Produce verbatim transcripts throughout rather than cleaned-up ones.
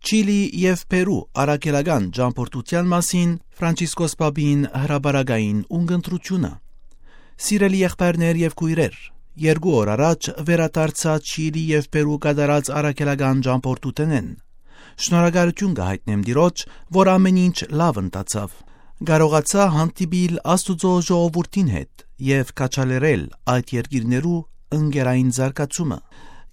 Չիլի եւ Պերու առաքելական ճամբորդութեան մասին Ֆրանցիսկոս Պապին հրապարակային ունկնդրութիւնը։ Սիրելի եղբայրներ եւ քոյրեր, երկու օր առաջ վերադարձայ Չիլի եւ Պերու կատարած առաքելական ճամբորդութենէն։ Շնորհակալութիւն կը յայտնեմ Տիրոջ, որ ամէն ինչ լաւ ընթացաւ։ Կարողացայ հանդիպիլ Աստուծոյ ժողովուրդին հետ եւ քաջալերել այդ երկիրներու ընկերային զարգացումը։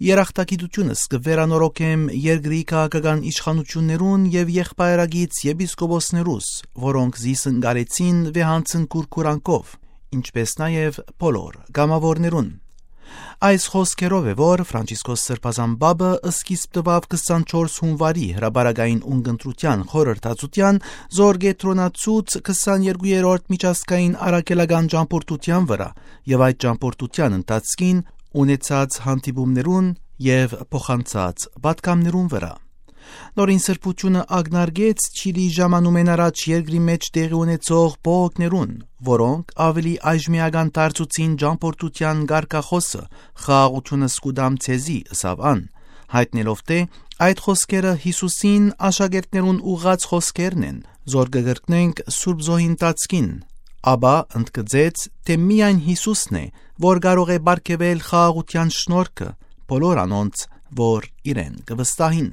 Երախտագիտութիւնս կը վերանորոգեմ երկրի քաղաքական իշխանութիւններուն եւ եղբայրագից եպիսկոպոսներուս, որոնք զիս ընկալեցին վեհանցն կուրքուրանքով, ինչպէս նաեւ բոլոր կամաւորներուն։ Այս խօսքերով է, որ Ֆրանցիսկոս Սրբազան Պապը սկիզբ տուաւ քսանչորս հունուարի հրապարակային ունկնդրութեան խորհրդածութեան, զոր կեդրոնացուց քսաներկուերորդ միջազգային առաքելական ճամբորդութեան վրայ եւ այդ ճամբորդութեան ընթացքին ունեցած հանդիպումներուն եւ փոխանցած պատգամներուն վրայ։ Նորին սրբութիւնը ակնարկեց Չիլի ժամանումէն առաջ երկրի մէջ տեղի ունեցող բողոքներուն, որոնք աւելի այժմեական դարձուցին ճամբորդութեան կարգախօսը «Խաղաղութիւնս կու տամ ձեզի», ըսաւ ան, յայտնելով թէ այդ խօսքերը Յիսուսին աշակերտներուն ուղղած խօսքերն են, զոր կը կրկնենք Սուրբ Զոյին ընթացքին, ապա ընդգծեց թէ միայն Յիսուսն է, որ կարող է պարգեւել խաղաղութեան շնորհքը բոլոր անոնց, որ իրեն կը վստահին։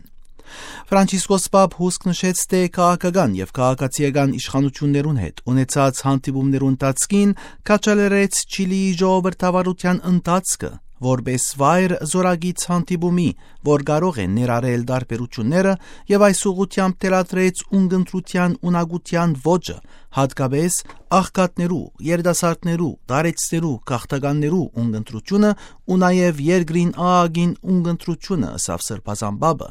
Ֆրանցիսկոս Պապ հուսկ նշեց թէ քաղաքական եւ քաղաքացիական իշխանութիւններուն հետ ունեցած հանդիպումներու ընթացքին քաջալերեց Չիլիի ժողովրդավարութեան ընթացքը, որպէս վայր զօրակից հանդիպումի, որ կարող է ներառել տարբերութիւնները, եւ այս ուղղութեամբ թելադրեց ունկնդրութեան ունակութեան ոճը, յատկապէս աղքատներու, երիտասարդներու, տարեցներու, գաղթականներու ունկնդրութիւնը ու նաեւ երկրին աղագին ունկնդրութիւնը, ըսաւ Սրբազան Պապը,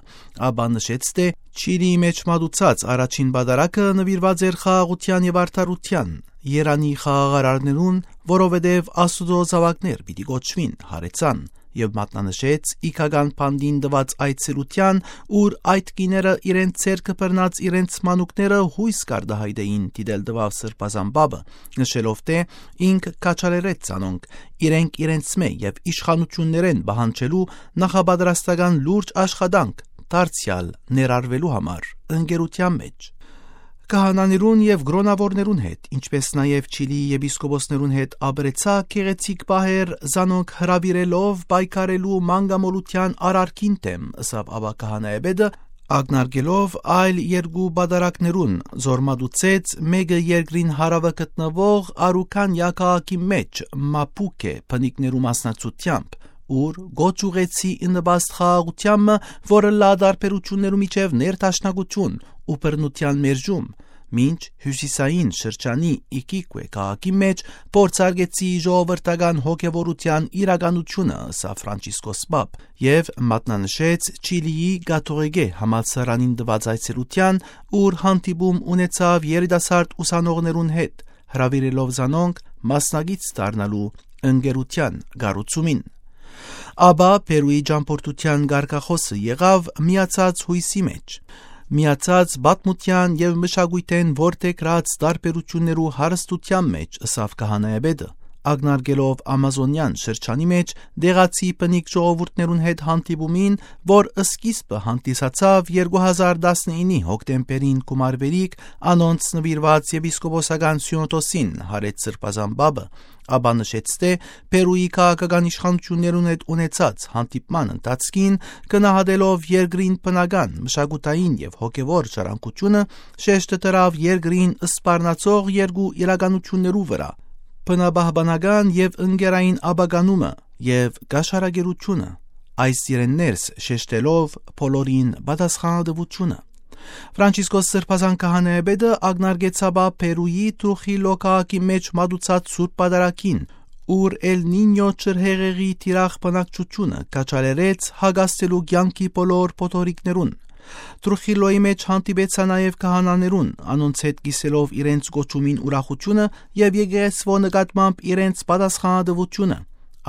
ապա նշեց թէ Չիլիի մէջ մատուցած առաջին պատարագը նուիրուած էր խաղաղութեան եւ արդարութեան, Երանի խաղաղարարներուն, որովհետեւ Աստուծոյ զաւակներ պիտի կոչուին, յարեցան, եւ մատնանշեց իգական բանտին տուած այցելութեան, ուր այդ կիները իրենց ձեռքը բռնած իրենց մանուկները յոյս կ'արտայայտէին, դիտել տուաւ Սրբազան Պապը, նշելով թէ ինք քաջալերեց զանոնք իրենք իրենցմէ եւ իշխանութիւններէն պահանջելու նախապատրաստական լուրջ աշխատանք դարձեալ ներառուելու համար ընկերութեան մէջ։ Քահանաներուն եւ կրօնաւորներուն հետ, ինչպէս նաեւ Չիլիի եպիսկոպոսներուն հետ ապրեցայ գեղեցիկ պահեր, զանոնք հրաւիրելով պայքարելու մանկամոլութեան արարքին դէմ, ըսաւ ապա քահանայապետը, ակնարկելով այլ երկու պատարագներուն, զոր մատուցեց մէկը երկրին հարաւը գտնուող Արուքանիա քաղաքի մէջ Մապուքէ բնիկներու մասնակցութեամբ, ուր կոչ ուղղեցի ի նպաստ խաղաղութեան մը, որ ըլլայ տարբերութիւններու միջեւ ներդաշնակութիւն ու բռնութեան մերժում, մինչ հիւսիսային շրջանի Իքիկուէ քաղաքի մէջ փորձարկեցի ժողովրդական հոգեւորութեան իրականութիւնը, ըսաւ Ֆրանցիսկոս Պապ, եւ մատնանշեց Չիլիի Կաթողիկէ համալսարանին տուած այցելութեան, ուր հանդիպում ունեցաւ երիտասարդ ուսանողներուն հետ, հրաւիրելով զանոնք մասնակից դառնալու ընկերութեան կառուցումին։ Ապա Պերուի ճամբորդութեան կարգախօսը եղաւ միացած յոյսի մէջ, միացած պատմութեան եւ մշակոյթէն որդեգրած տարբերութիւններու հարստութեան մէջ, ըսաւ քահանայապետը, ակնարկելով Ամազոնեան շրջանի մէջ դեղացի բնիկ ժողովուրդներուն հետ հանդիպումին, որ սկիզբը հանդիսացաւ երկու հազար տասնիննի հոկտեմբերին գումարուելիք անոնց նուիրուած եպիսկոպոսական սիոնոդոսին, յարեց Սրբազան Պապը, ապա նշեց թէ Պերուի քաղաքական իշխանութիւններուն հետ ունեցած հանդիպման ընթացքին, գնահատելով երկրին բնական, մշակութային եւ հոգեւոր ժառանգութիւնը, շեշտը դրաւ երկրին սպառնացող երկու իրականութիւններու վրայ՝ բնապահպանական եւ ընկերային ապականումը եւ կաշառակերութիւնը, այս իրեն ներս շեշտելով բոլորին պատասխանատուութիւնը։ Ֆրանցիսկոս Սրբազան քահանայապետը ակնարկեց ապա Պերուի Թրուխիլլո քաղաքի մէջ մատուցած Սուրբ Պատարագին, ուր Էլ Նինյո ջրհեղեղի թիրախ բնակչութիւնը քաջալերեց հակասելու կեանքի բոլոր փոթորիկներուն։ Թրուխիլլոյի մէջ հանդիպեցայ նաեւ քահանաներուն, անոնց հետ կիսելով իրենց կոչումին ուրախութիւնը եւ եկեղեցւոյ նկատմամբ իրենց պատասխանատուութիւնը,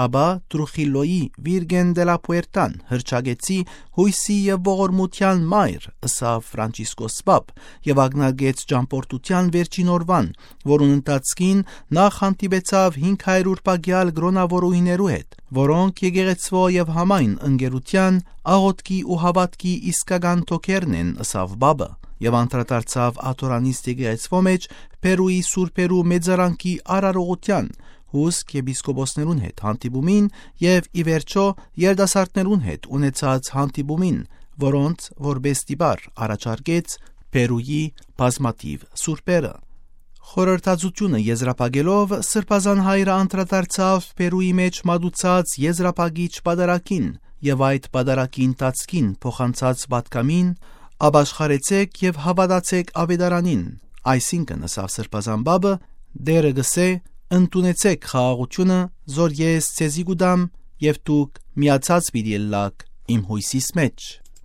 Ապա Տրուխիլլոյի Վիրգեն դե լա Պուերտան հռչակեցի յոյսի եւ ողորմութեան մայր, ըսաւ Ֆրանցիսկոս Պապ, եւ ակնարկեց ճամբորդութեան վերջին օրուան, որուն ընթացքին նախ հանդիպեցաւ հինգ հարիւր պակեալ կրոնաւորուհիներու հետ, որոնք եկեղեցւոյ եւ համայն ընկերութեան աղօթքի ու հաւատքի իսկական թոքերն են, ըսաւ Պապը, եւ անդրադարձաւ Աթորանիստ եկեղեցւոյ մէջ Պերուի սուրբերու մեծարանքի արարողութեան, հուսկ եպիսկոպոսներուն հետ հանդիպումին եւ, ի վերջոյ, երիտասարդներուն հետ ունեցած հանդիպումին, որոնց որպէս տիպար առաջարկեց Պերուի բազմաթիւ սուրբերը։ Խորհրդածութիւնը եզրափակելով, Սրբազան Հայրը անդրադարձաւ Պերուի մէջ մատուցած եզրափակիչ պատարագին եւ այդ պատարագի ընթացքին փոխանցած պատգամին. «Ապաշխարեցէք եւ հաւատացէք աւետարանին», այսինքն, ըսաւ Սրբազան Պապը, Տէրը կ'ըսէ. «Ընդունեցէք խաղաղութիւնը, զոր ես ձեզի կու տամ, եւ դուք միացած պիտի ըլլաք իմ յոյսիս մէջ»։